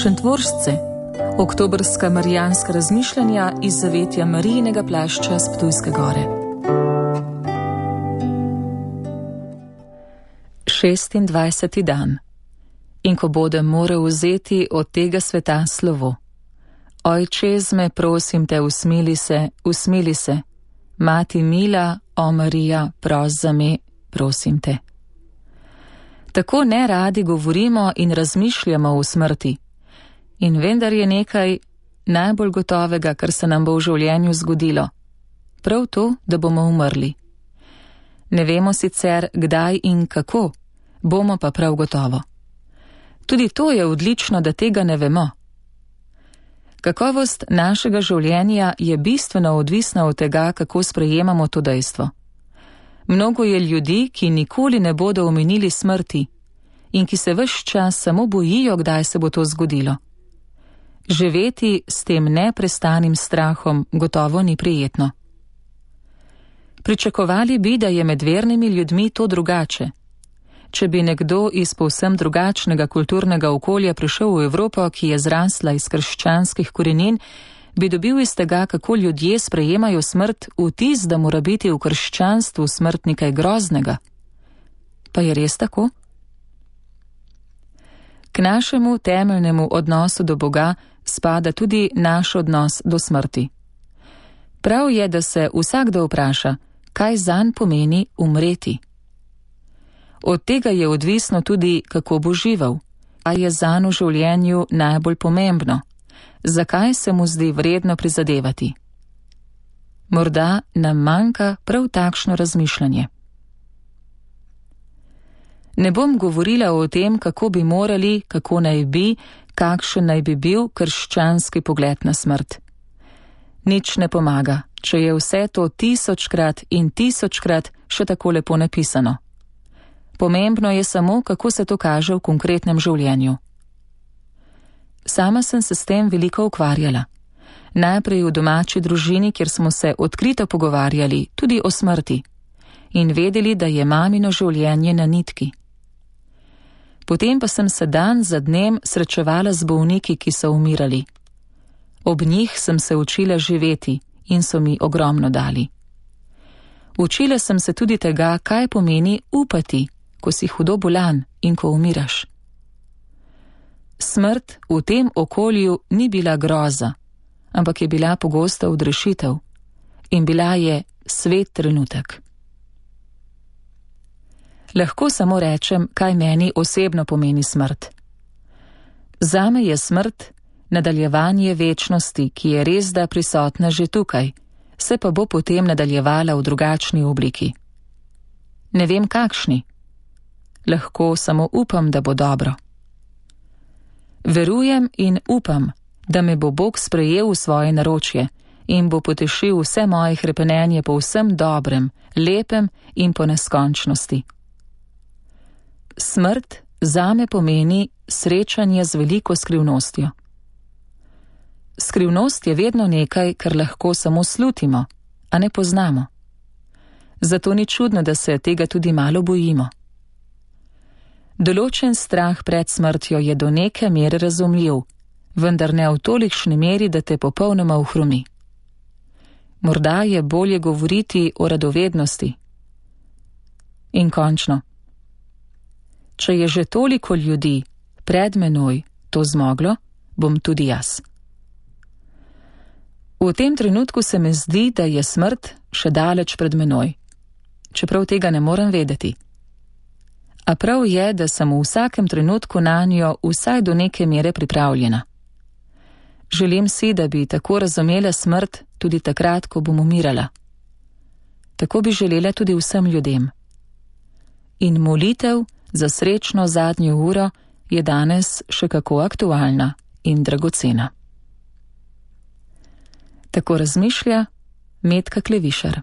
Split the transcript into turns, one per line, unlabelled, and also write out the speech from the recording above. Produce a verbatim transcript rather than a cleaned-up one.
Šentvoržce, oktobrska marijanska razmišljanja iz zavetja Marijinega plašča s Ptujske gore. šestindvajseti dan. In ko bodem moral vzeti od tega sveta slovo. Ojče, zme, prosim te, usmili se, usmili se. Mati mila, o Marija, pros za me, prosim te. Tako neradi govorimo in razmišljamo o smrti. In vendar je nekaj najbolj gotovega, kar se nam bo v življenju zgodilo. Prav to, da bomo umrli. Ne vemo sicer, kdaj in kako, bomo pa prav gotovo. Tudi to je odlično, da tega ne vemo. Kakovost našega življenja je bistveno odvisna od tega, kako sprejemamo to dejstvo. Mnogo je ljudi, ki nikoli ne bodo omenili smrti in ki se ves čas samo bojijo, kdaj se bo to zgodilo. Živeti s tem neprestanim strahom gotovo ni prijetno. Pričakovali bi, da je med vernimi ljudmi to drugače. Če bi nekdo iz povsem drugačnega kulturnega okolja prišel v Evropo, ki je zrasla iz krščanskih korenin, bi dobil iz tega, kako ljudje sprejemajo smrt, vtis, da mora biti v krščanstvu smrt nekaj groznega. Pa je res tako? K našemu temeljnemu odnosu do Boga spada tudi naš odnos do smrti. Prav je, da se vsakdo vpraša, kaj zanj pomeni umreti. Od tega je odvisno tudi, kako bo živel, a je zanj v življenju najbolj pomembno, zakaj se mu zdi vredno prizadevati. Morda nam manjka prav takšno razmišljanje. Ne bom govorila o tem, kako bi morali, kako naj bi, kakšen naj bi bil krščanski pogled na smrt. Nič ne pomaga, če je vse to tisočkrat in tisočkrat še tako lepo napisano. Pomembno je samo, kako se to kaže v konkretnem življenju. Sama sem se s tem veliko ukvarjala. Najprej v domači družini, kjer smo se odkrito pogovarjali tudi o smrti in vedeli, da je mamino življenje na nitki. Potem pa sem se dan za dnem srečevala z bolniki, ki so umirali. Ob njih sem se učila živeti in so mi ogromno dali. Učila sem se tudi tega, kaj pomeni upati, ko si hudo bolan in ko umiraš. Smrt v tem okolju ni bila groza, ampak je bila pogosta odrešitev in bila je svet trenutek. Lahko samo rečem, kaj meni osebno pomeni smrt. Zame je smrt nadaljevanje večnosti, ki je resda prisotna že tukaj, se pa bo potem nadaljevala v drugačni obliki. Ne vem kakšni. Lahko samo upam, da bo dobro. Verujem in upam, da me bo Bog sprejel v svoje naročje in bo potešil vse moje hrepenenje po vsem dobrem, lepem in po neskončnosti. Smrt zame pomeni srečanje z veliko skrivnostjo. Skrivnost je vedno nekaj, kar lahko samo slutimo, a ne poznamo. Zato ni čudno, da se tega tudi malo bojimo. Določen strah pred smrtjo je do neke mere razumljiv, vendar ne v tolikšni meri, da te popolnoma ohromi. Morda je bolje govoriti o radovednosti. In končno. Če je že toliko ljudi pred menoj to zmoglo, bom tudi jaz. V tem trenutku se mi zdi, da je smrt še daleč pred menoj, čeprav tega ne morem vedeti. A prav je, da sem v vsakem trenutku nanjo vsaj do neke mere pripravljena. Želim si, da bi tako razumela smrt tudi takrat, ko bom umirala. Tako bi želela tudi vsem ljudem. In molitev za srečno zadnjo uro je danes še kako aktualna in dragocena. Tako razmišlja Metka Klevišar.